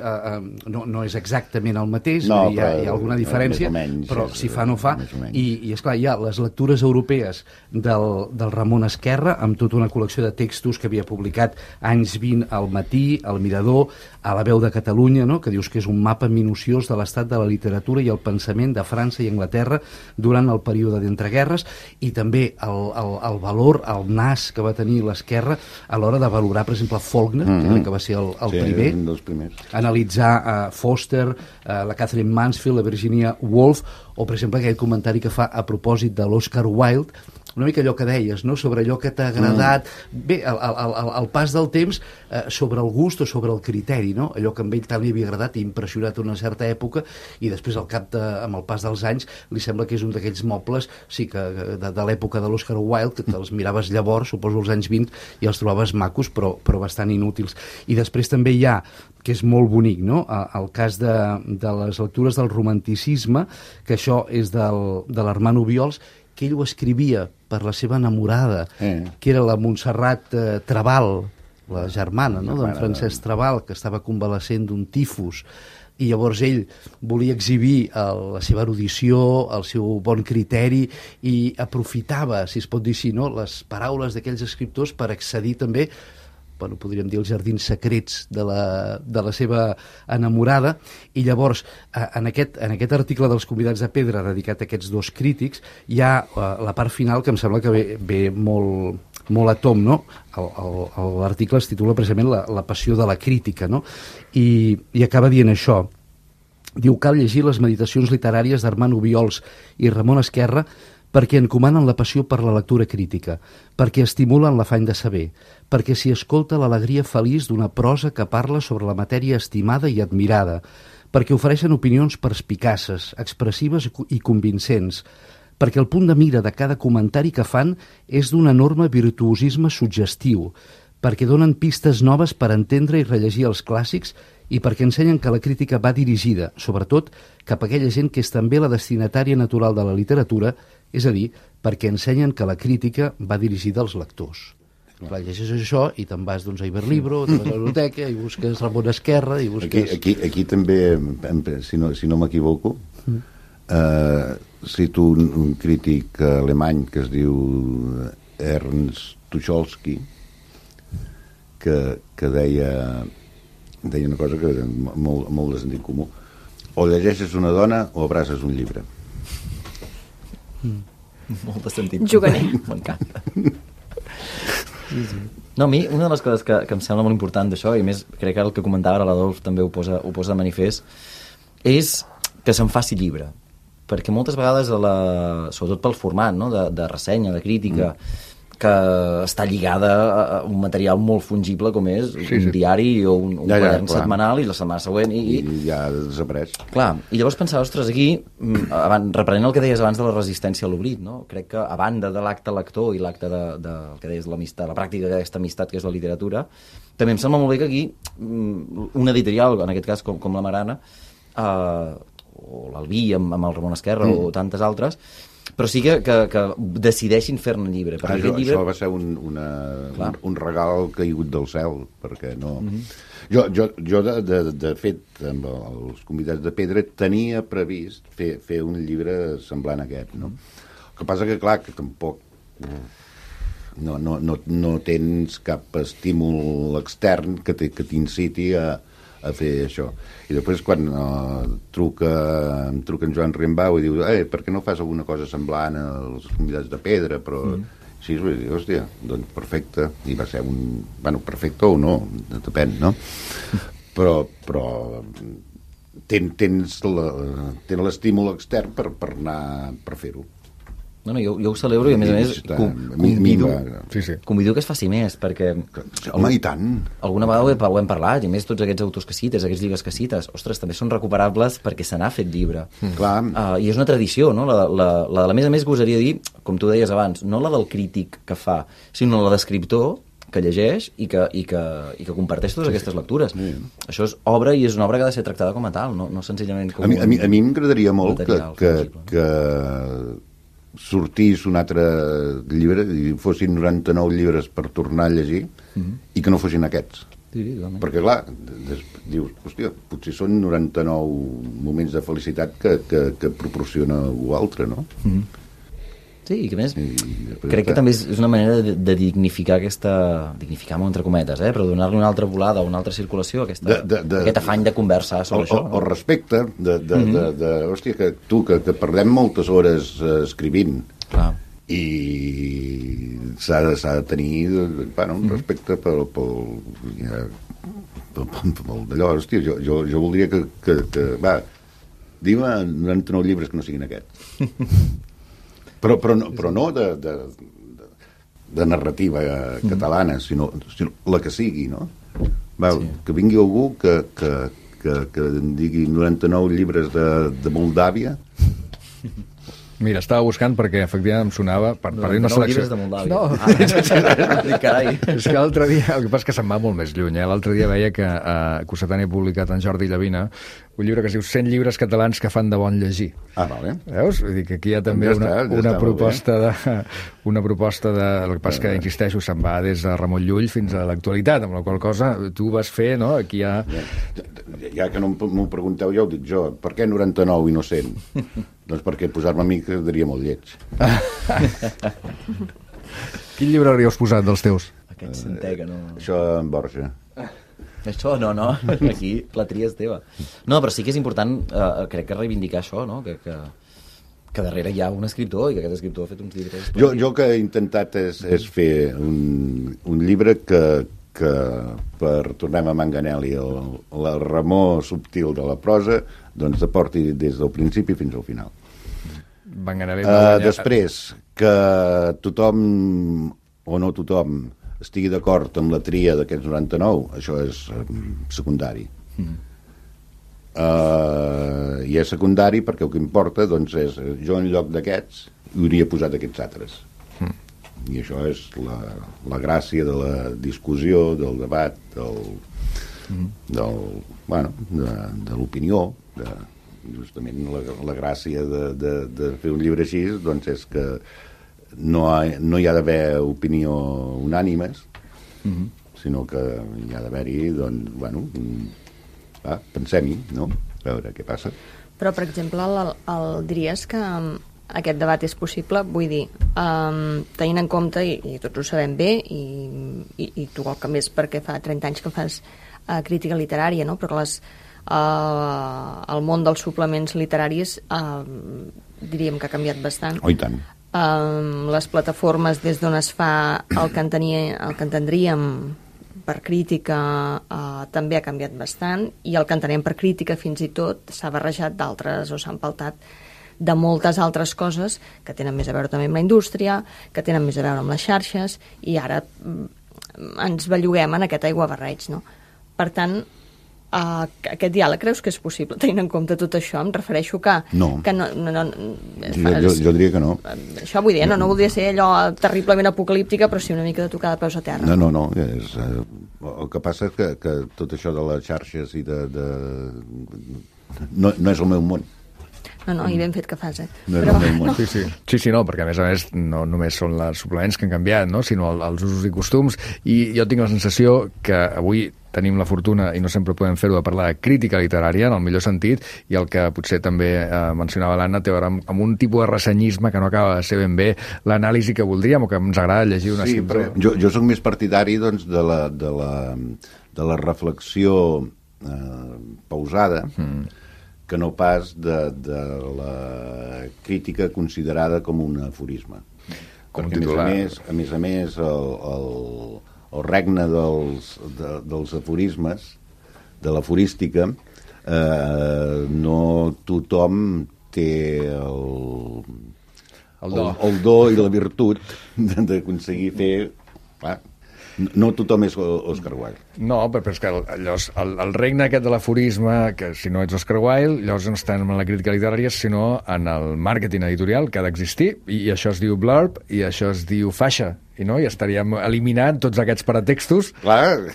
no és exactament el mateix, hi ha alguna diferència, però si fa no fa, i esclar, hi ha les lectures europees del Ramon Esquerra, amb tota una col·lecció de textos que havia publicat anys 20 al Matí, al Mirador, a La Veu de Catalunya, no? Que dius que és un mapa minuciós de l'estat de la literatura i el pensament de França i Anglaterra durant el període d'entreguerres, i també el valor, el nas que va tenir l'Esquerra a l'hora de valorar, per exemple, Faulkner, que va ser el primer, un dels primers. Analitzar Foster, la Catherine Mansfield, la Virginia Woolf, o, per exemple, aquell comentari que fa a propòsit de l'Oscar Wilde, una mica allò que deies, no? Sobre allò que t'ha agradat, bé, el pas del temps sobre el gust o sobre el criteri, no? Allò que a ell tant li havia agradat i impressionat una certa època, i després amb el pas dels anys li sembla que és un d'aquells mobles, sí, que de l'època de l'Oscar Wilde, que te'ls miraves llavors, suposo als anys 20, i els trobaves macos però bastant inútils. I després també hi ha, que és molt bonic, no? El cas de les lectures del romanticisme, que això és de l'Hermano Viols, que ell ho escrivia per la seva enamorada, que era la Montserrat Trabal, la germana, no?, d'en Francesc Trabal, que estava convalescent d'un tifus, i llavors ell volia exhibir la seva erudició, el seu bon criteri, i aprofitava, si es pot dir així, no?, les paraules d'aquells escriptors per accedir també, bueno, podríem dir, els jardins secrets de la seva enamorada. I llavors, en aquest article dels convidats de pedra dedicat a aquests dos crítics, hi ha la part final que em sembla que ve molt a tom, no? L'article es titula precisament la passió de la crítica, no? I acaba dient això. Diu: cal llegir les meditacions literàries d'Hermano Viols i Ramon Esquerra perquè encomanen la passió per la lectura crítica, perquè estimulen l'afany de saber, perquè s'hi escolta l'alegria feliç d'una prosa que parla sobre la matèria estimada i admirada, perquè ofereixen opinions perspicaces, expressives i convincents, perquè el punt de mira de cada comentari que fan és d'un enorme virtuosisme suggestiu, perquè donen pistes noves per entendre i rellegir els clàssics i perquè ensenyen que la crítica va dirigida, sobretot, cap a aquella gent que és també la destinatària natural de la literatura, és a dir, perquè ensenyen que la crítica va dirigida als lectors. Clar, llegeixes això i te'n vas a Iberlibro, te'n vas a la biblioteca i busques Ramon Esquerra i busques... Aquí també, si no m'equivoco, cito un crític alemany que es diu Ernst Tucholsky, que deia una cosa que era molt de sentit comú: o llegeixes una dona o abraces un llibre. Molt de sentit. Juganer. M'encanta. No, a mi, una de les coses que em sembla molt important d'això, i més crec que el que comentava ara l'Adolf també ho posa de manifest, és que se'n faci llibre. Perquè moltes vegades, sobretot pel format, no? de ressenya, de crítica, que està lligada a un material molt fungible com és un diari o un quadern setmanal, i la setmana següent i ja desapareix. Clar, i llavors pensava, ostres, aquí reprenent el que deies abans de la resistència a l'oblit, no? Crec que a banda de l'acte lector i l'acte de que deies l'amistat, la pràctica d'aquesta amistat que és la literatura, també em sembla molt bé que aquí un editorial, en aquest cas com la Marana, o l'Albí amb el Ramon Esquerra o tantes altres, però sí que decideixin fer-ne llibre. Això va ser un regal caigut del cel, perquè no... Jo de fet, amb els convidats de Pedra, tenia previst fer un llibre semblant a aquest, no? El que passa que, clar, que tampoc no tens cap estímul extern que t'inciti a fer això. I després quan em truca en Joan Rimbau i diu per què no fas alguna cosa semblant als convidats de Pedra, però sí, vaig dir, hòstia, doncs perfecte, i va ser perfecte o no, depèn, no? Però tens l'estímul extern per fer-ho. No, jo ho celebro i a més convido que es faci més, perquè home, i tant, alguna vegada ho hem parlat, i més tots aquests autors que cites, aquests llibres que cites, ostres, també són recuperables perquè se n'ha fet llibre. Clar. I és una tradició, no? La a més gosaria dir, com tu deies abans, no la del crític que fa, sinó la d'escriptor que llegeix i que comparteix totes aquestes lectures. Això és obra, i és una obra que ha de ser tractada com a tal, no senzillament com a mi m'agradaria molt que sortís un altre llibre i fossin 99 llibres per tornar a llegir i que no fossin aquests. Perquè, clar, dius, hòstia, potser són 99 moments de felicitat que proporciona algú altre, no? Sí, i que més crec que també és una manera de dignificar dignificar entre cometes, però donar-li una altra volada, una altra circulació a aquest afany de conversar sobre això. O respecte hòstia, que parlem moltes hores escrivint. Clar. I s'ha de tenir un respecte pel d'allò, hòstia, jo voldria que va, digue'm 99 llibres que no siguin aquests. Però no de narrativa catalana, sinó la que sigui, no? Que vingui algú que em digui 99 llibres de Moldàvia. Mira, estava buscant perquè efectivament em sonava per dir una selecció. Llibres de Moldàvia. Carai. És que l'altre dia, el que passa és que se'n va molt més lluny, L'altre dia veia que Cossetani ha publicat en Jordi Llavina un llibre que es diu 100 llibres catalans que fan de bon llegir. Vale. Veus? Vull dir que aquí hi ha també una proposta de... El que passa que, insisteixo, se'n va des de Ramon Llull fins a l'actualitat, amb la qual cosa tu vas fer, no? Aquí hi ha... Ja que no m'ho pregunteu, ja ho dic jo. Per què 99 i no 100? Doncs perquè posar-me a mi quedaria molt lleig. Quin llibre hauríeu posat dels teus? Aquest centè que no... Això en Borja. Això no, aquí la tria és teva. No, però sí que és important, crec que reivindicar això, no? Que darrere hi ha un escriptor i que aquest escriptor ha fet uns llibres... Jo que he intentat és fer un llibre que per tornem a Manganelli, el remor subtil de la prosa, doncs aporti des del principi fins al final. Després, que tothom o no tothom estigui d'acord amb la tria d'aquests 99, això és secundari. I és secundari perquè el que importa doncs, és jo en lloc d'aquests hauria posat aquests altres. I això és la gràcia de la discussió, del debat, de l'opinió, justament la gràcia de fer un llibre així doncs és que no hi ha d'haver opinió unànimes, sinó que hi ha d'haver-hi, pensem-hi, no? A veure què passa. Però, per exemple, diries que aquest debat és possible, vull dir, tenint en compte, i tots ho sabem bé, i tu el que més perquè fa 30 anys que fas crítica literària, no? Però el món dels suplements literaris diríem que ha canviat bastant. Oh, i tant. Les plataformes des d'on es fa el que entendríem per crítica també ha canviat bastant, i el que entenem per crítica fins i tot s'ha barrejat d'altres o s'ha empaltat de moltes altres coses que tenen més a veure també amb la indústria, que tenen més a veure amb les xarxes, i ara ens belluguem en aquest aiguabarreig, no? Per tant, aquest diàleg creus que és possible tenint en compte tot això? Em refereixo que... No. Que no jo diria que no. Això vull dir, no voldria ser allò terriblement apocalíptica, però sí una mica de tocar de peus a terra. No. El que passa és que tot això de les xarxes i no és el meu món. No, i ben fet que fas, No és el meu món. Sí, no, perquè a més no només són els suplements que han canviat, no? Sinó els usos i costums, i jo tinc la sensació que avui tenim la fortuna, i no sempre podem fer-ho, de parlar de crítica literària, en el millor sentit, i el que potser també mencionava l'Anna té a veure amb un tipus de ressenyisme que no acaba de ser ben bé l'anàlisi que voldríem o que ens agrada llegir un escriptor. Jo soc més partidari, doncs, de la reflexió pausada, que no pas de la crítica considerada com un aforisme. Perquè, a més a més, el regne dels aforismes, de l'aforística, no tothom té el do i la virtut d'aconseguir fer... Clar, no tothom és Oscar Wilde. No, però és que el regne aquest de l'aforisme, que si no ets Oscar Wilde, llavors no estem en la crítica literària, sinó en el màrqueting editorial, que ha d'existir, i això es diu blurb, i això es diu faixa, i estaríem eliminant tots aquests paratextos. Clar.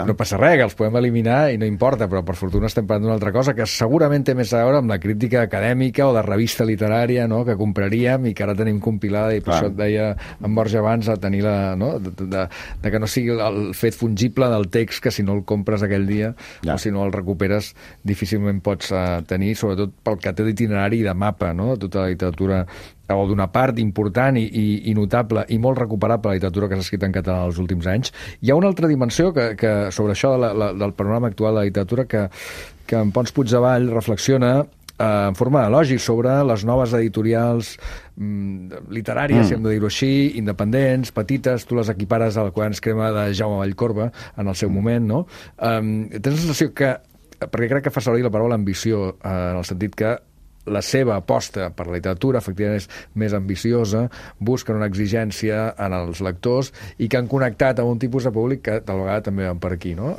No passa res, que els podem eliminar i no importa, però per fortuna estem parlant d'una altra cosa que segurament té més a veure amb la crítica acadèmica o de revista literària, no?, que compraríem i que ara tenim compilada, i per això et deia en Borja abans, a tenir de que no sigui el fet fungible del text, que si no el compres aquell dia o si no el recuperes difícilment pots tenir, sobretot pel que té d'itinerari i de mapa, no?, de tota la literatura, o d'una part important i notable i molt recuperable la literatura que s'ha escrit en català els últims anys. Hi ha una altra dimensió que sobre això del panorama actual de la literatura que en Pons Puigdevall reflexiona en forma d'elogi sobre les noves editorials literàries, si hem de dir-ho així, independents, petites, tu les equipares al Quaderns Crema de Jaume Vallcorba en el seu moment, no? Tens la sensació que, perquè crec que fa servir la paraula ambició, en el sentit que la seva aposta per la literatura efectivament és més ambiciosa, busquen una exigència en els lectors i que han connectat amb un tipus de públic que tal vegada també van per aquí, no?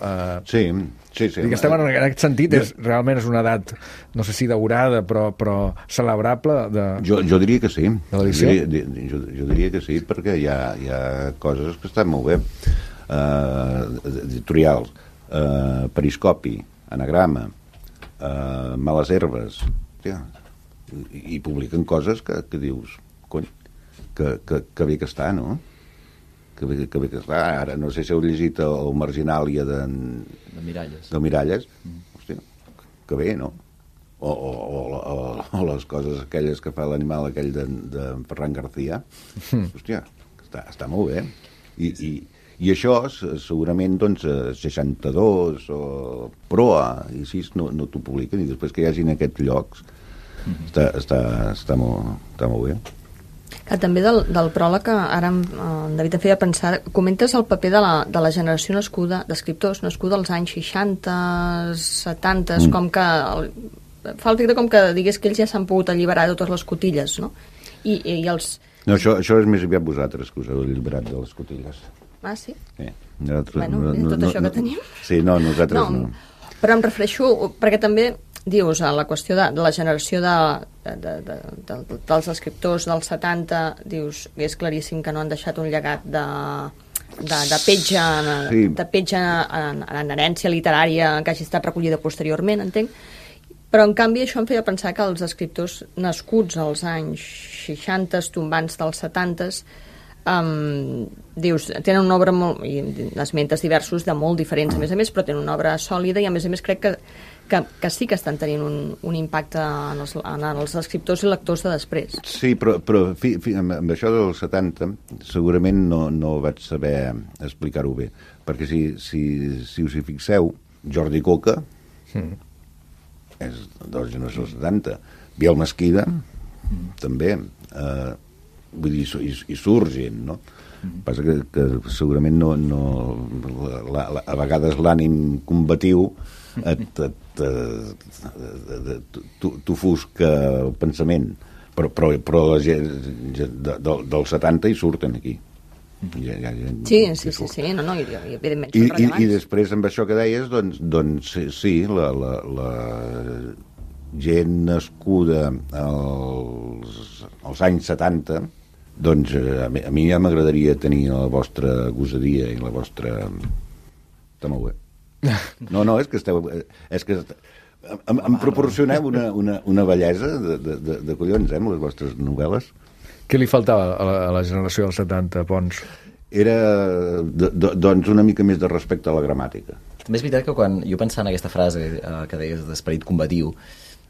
Sí. I que estem en aquest sentit, realment és una edat, no sé si daurada, però celebrable Jo diria que sí. De l'edició? Jo diria que sí, perquè hi ha coses que estan molt bé. Editorials, Periscopi, Anagrama, Males Herbes, i publiquen coses que dius, cony, que bé que està, no? Que bé que està. Ara no sé si heu llegit el Marginàlia de Miralles. Hòstia, que bé, no? O les coses aquelles que fa l'animal aquell de Ferran García. Hòstia, està molt bé. I això segurament, doncs, 62 o Proa i així no t'ho publiquen, i després que hi hagin aquests llocs està molt bé. També del pròleg, ara en David em feia pensar, comentes el paper de la generació nascuda, d'escriptors nascuda als anys 60, 70, com que fa el efecte com que digués que ells ja s'han pogut alliberar de totes les cotilles, no? I els... No, això és més aviat vosaltres que us heu alliberat de les cotilles. Ah, sí? Tot això que tenim. Sí, nosaltres no. Però em refereixo, perquè també dius, a la qüestió de la generació dels escriptors dels 70, dius, és claríssim que no han deixat un llegat de petja en herència literària que hagi estat recollida posteriorment, entenc. Però, en canvi, això em feia pensar que els escriptors nascuts als anys 60, tombants dels 70, dius, tenen una obra molt, i esmentes diversos de molt diferents, a més, però tenen una obra sòlida i a més crec que sí que estan tenint un impacte en els escriptors i lectors de després. Sí, però amb això dels 70 segurament no vaig saber explicar-ho bé, perquè si us hi fixeu, Jordi Coca és de la generació 70, Biel Mesquida també, vull dir, hi surt gent, no? Passa que segurament a vegades l'ànim combatiu t'ofusca el pensament, però la gent del 70 hi surten aquí. Sí, no, i evidentment són rellevants. I després amb això que deies, doncs sí, la gent nascuda als anys 70, doncs a mi ja m'agradaria tenir la vostra gosadia i la vostra... Està molt bé. No, és que em proporcioneu una bellesa de collons, amb les vostres novel·les. Què li faltava a la generació dels 70, Pons? Era, doncs, una mica més de respecte a la gramàtica. També és veritat que quan jo pensava en aquesta frase que deies d'esperit combatiu,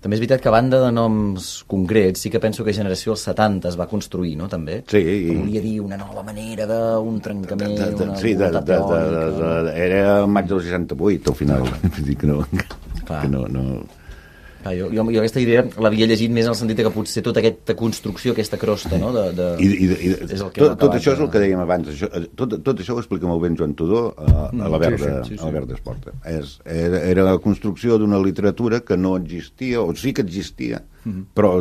també és veritat que a banda de noms concrets, sí que penso que generació dels 70 es va construir, no?, també? Sí. Que volia dir una nova manera d'un trencament, sí, era el maig del 68, al final. Vull dir que no... Clar, jo aquesta idea l'havia llegit més en el sentit que potser tota aquesta construcció, aquesta crosta, no? Tot això és el que dèiem abans. Tot això ho explica molt ben Joan Tudó a la Verda Esporta. Era la construcció d'una literatura que no existia, o sí que existia, però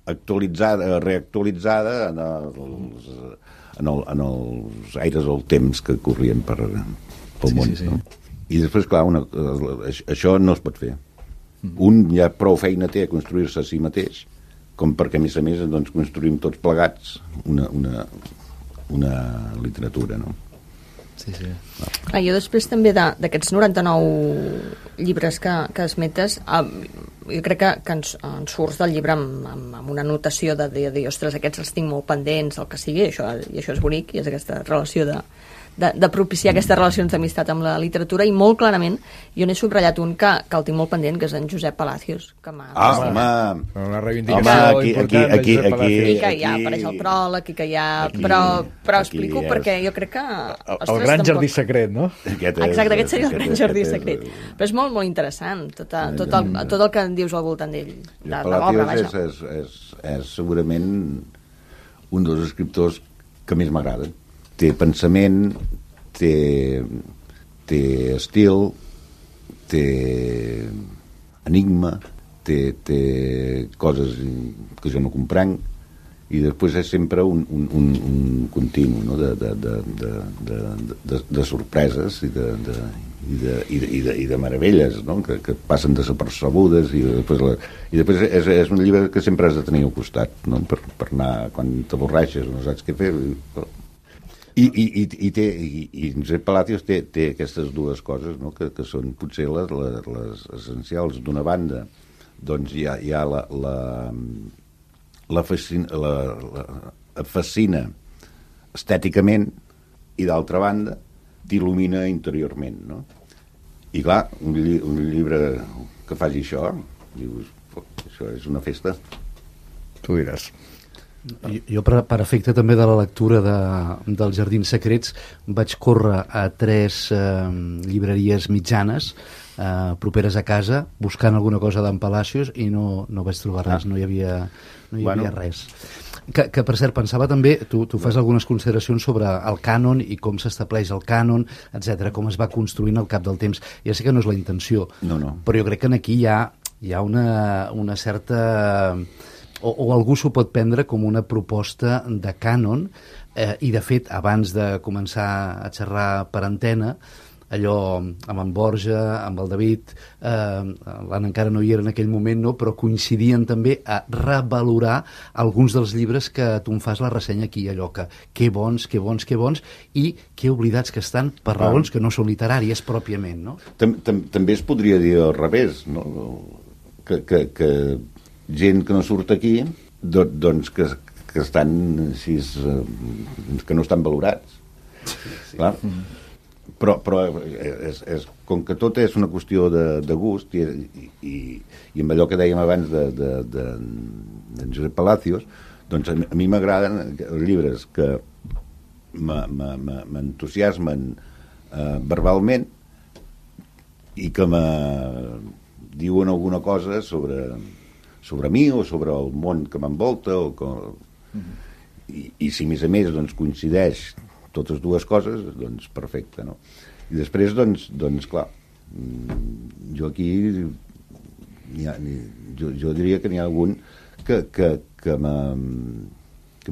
actualitzada, reactualitzada en els aires del temps que corrien pel món. No? I després, clar, això no es pot fer. Un ja prou feina té a construir-se a si mateix, com perquè, a més, doncs, construïm tots plegats una literatura, no? Sí. Jo després també d'aquests 99 llibres que esmetes, jo crec que ens surts del llibre amb una notació de dir, ostres, aquests els tinc molt pendents, el que sigui, i això és bonic, i és aquesta relació de propiciar aquestes relacions d'amistat amb la literatura, i molt clarament jo n'he subratllat un que el tinc molt pendent, que és en Josep Palacios, que m'ha... una reivindicació important de Josep Palacios. I que ja apareix el pròleg, i que ja... Però explico perquè jo crec que... El gran jardí secret, no? Exacte, aquest seria el gran jardí secret. Però és molt, molt interessant tot el que dius al voltant d'ell, de l'obra, vaja. És segurament un dels escriptors que més m'agrada. Té pensament, té estil, té enigma, té coses que jo no comprenc, i després és sempre un continu, no? de sorpreses i de meravelles, no? que passen desapercebudes, i després és un llibre que sempre has de tenir al costat, no? per anar, quan t'avorreixes no saps què fer. I Josep Palacios té aquestes dues coses, no? que són potser les essencials. D'una banda, doncs hi ha la fascina estèticament, i d'altra banda t'il·lumina interiorment, no? I clar, un llibre que faci això, dius, això és una festa. Tu diràs. Jo, per efecte també de la lectura dels Jardins Secrets, vaig córrer a 3 llibreries mitjanes properes a casa, buscant alguna cosa d'en Palacios, i no vaig trobar res, no hi havia res. Que per cert, pensava també, tu fas algunes consideracions sobre el cànon i com s'estableix el cànon, etc, com es va construint al cap del temps. Ja sé que no és la intenció, però jo crec que aquí hi ha una certa... O algú s'ho pot prendre com una proposta de cànon, i de fet, abans de començar a xerrar per antena, allò amb en Borja, amb el David, l'Anna encara no hi era en aquell moment, no? Però coincidien també a revalorar alguns dels llibres que tu em fas la ressenya aquí, allò que bons, i que oblidats que estan per raons que no són literàries pròpiament, no? També es podria dir al revés, no? Que gent que no surt aquí, doncs que que estan així, que no estan valorats. Clar. Però com que tot és una qüestió de gust i amb allò que dèiem abans de Josep Palacios, doncs a mi m'agraden els llibres que m'entusiasmen verbalment i que me diuen alguna cosa sobre mi o sobre el món que m'envolta i si a més doncs, coincideix totes dues coses, doncs perfecte, no? I després, doncs clar, jo aquí jo diria que n'hi ha algun que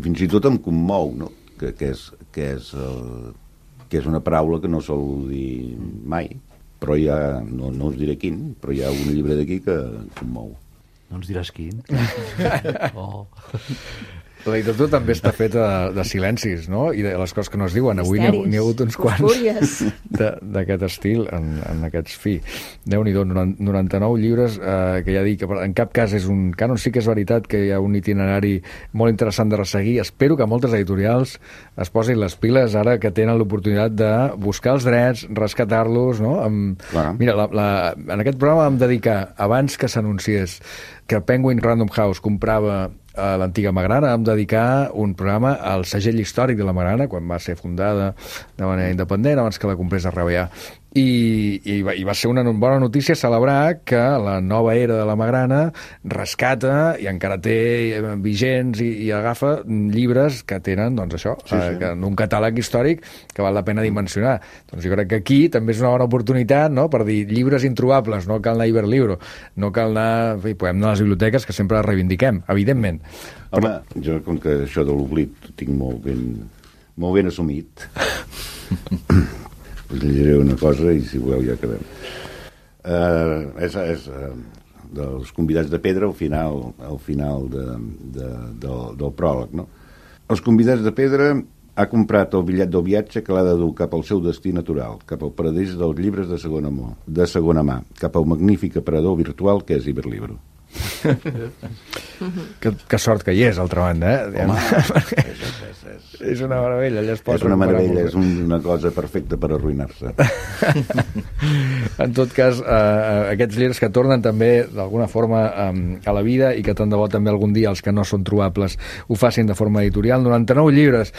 fins i tot em commou, no? Que és una paraula que no sol dir mai, però no us diré quin, però hi ha un llibre d'aquí que em commou. No ens diràs quin? Oh. La literatura també està feta de silencis, no? I de les coses que no es diuen. Avui n'hi ha hagut uns quants d'aquest estil en aquests fi. Déu-n'hi-do, 99 llibres que ja dic, que en cap cas és un cànon. Sí que és veritat que hi ha un itinerari molt interessant de resseguir. Espero que moltes editorials es posin les piles ara que tenen l'oportunitat de buscar els drets, rescatar-los, no? Mira, en aquest programa vam dedicar, abans que s'anunciés que Penguin Random House comprava a l'antiga Magrana, vam dedicar un programa al segell històric de la Magrana, quan va ser fundada de manera independent, abans que la comprés a RBA. I va ser una bona notícia celebrar que la nova era de la Magrana rescata i encara té vigents i agafa llibres que tenen, doncs això, que en un catàleg històric que val la pena dimensionar. Doncs jo crec que aquí també és una bona oportunitat, no?, per dir llibres introbables, no cal anar a Iberlibro, no cal anar, podem anar a les biblioteques, que sempre les reivindiquem, evidentment. Home, jo com que això de l'oblit ho tinc molt ben assumit. Us llegiré una cosa i si voleu ja acabem. És dels convidats de pedra al final del pròleg, no? Els convidats de pedra ha comprat el bitllet del viatge que l'ha de dur cap al seu destí natural, cap al paradís dels llibres de segona mà, cap al magnífic aparador virtual que és Iberlibro. Que sort que hi és, altra banda, eh? Home, és una meravella, allà es pot... És una meravella, és una cosa perfecta per arruïnar-se. En tot cas, aquests llibres que tornen també d'alguna forma a la vida i que tant de bo també algun dia els que no són trobables ho facin de forma editorial. 99 llibres.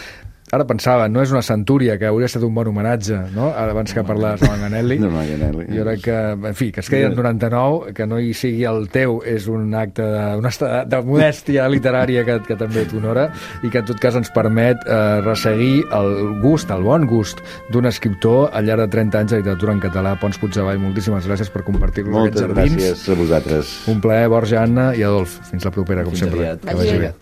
Ara pensava, no és una centúria, que hauria estat un bon homenatge, no? Abans que parlaves de Manganelli. Jo crec que, en fi, que es quedin 99, que no hi sigui el teu, és un acte de modèstia literària que també t'honora i que en tot cas ens permet resseguir el bon gust d'un escriptor al llarg de 30 anys de literatura en català. Pons Puigdevall, moltíssimes gràcies per compartir-nos aquests jardins. Moltes gràcies a vosaltres. Un plaer, Borja, Anna i Adolf. Fins la propera, com sempre. Que vagi bé.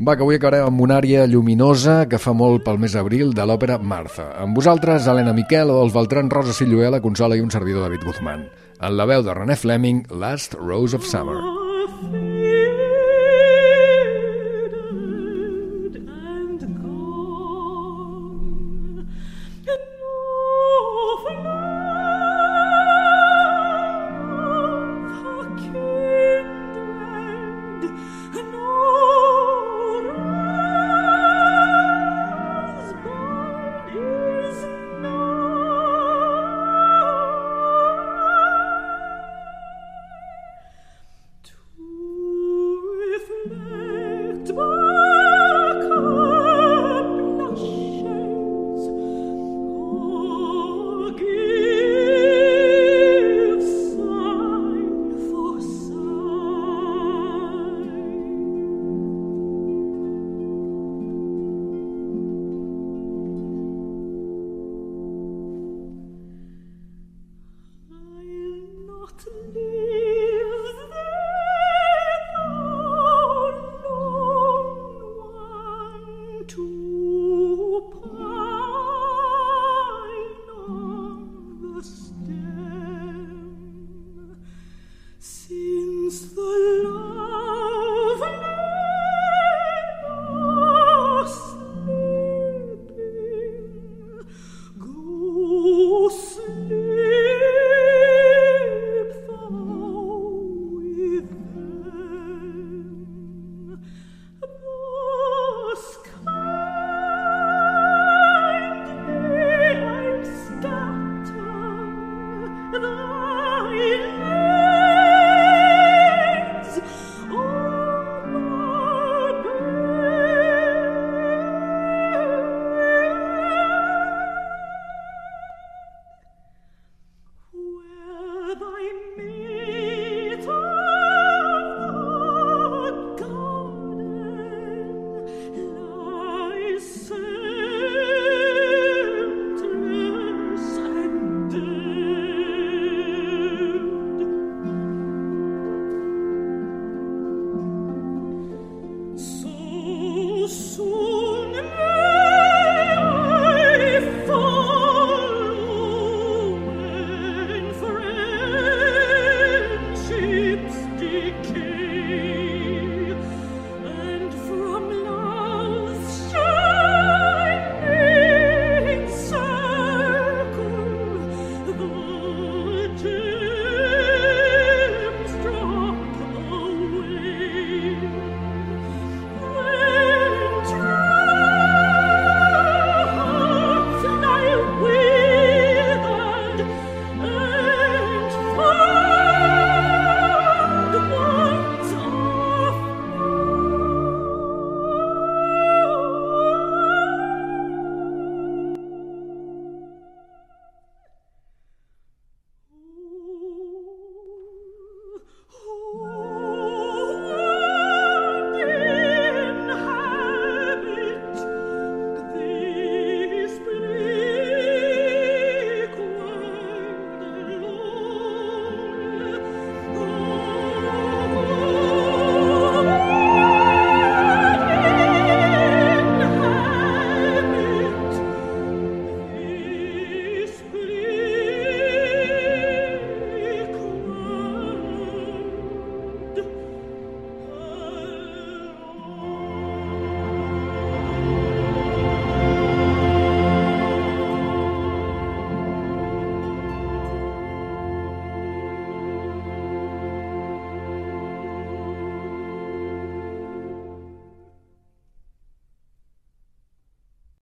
Va, que avui acabarem amb una àrea lluminosa que fa molt pel mes d'abril de l'òpera Martha. Amb vosaltres, Helena Miquel, Adolf Beltrán, Rosa Silluela, Consola i un servidor, David Guzmán. En la veu de René Fleming, Last Rose of Summer. To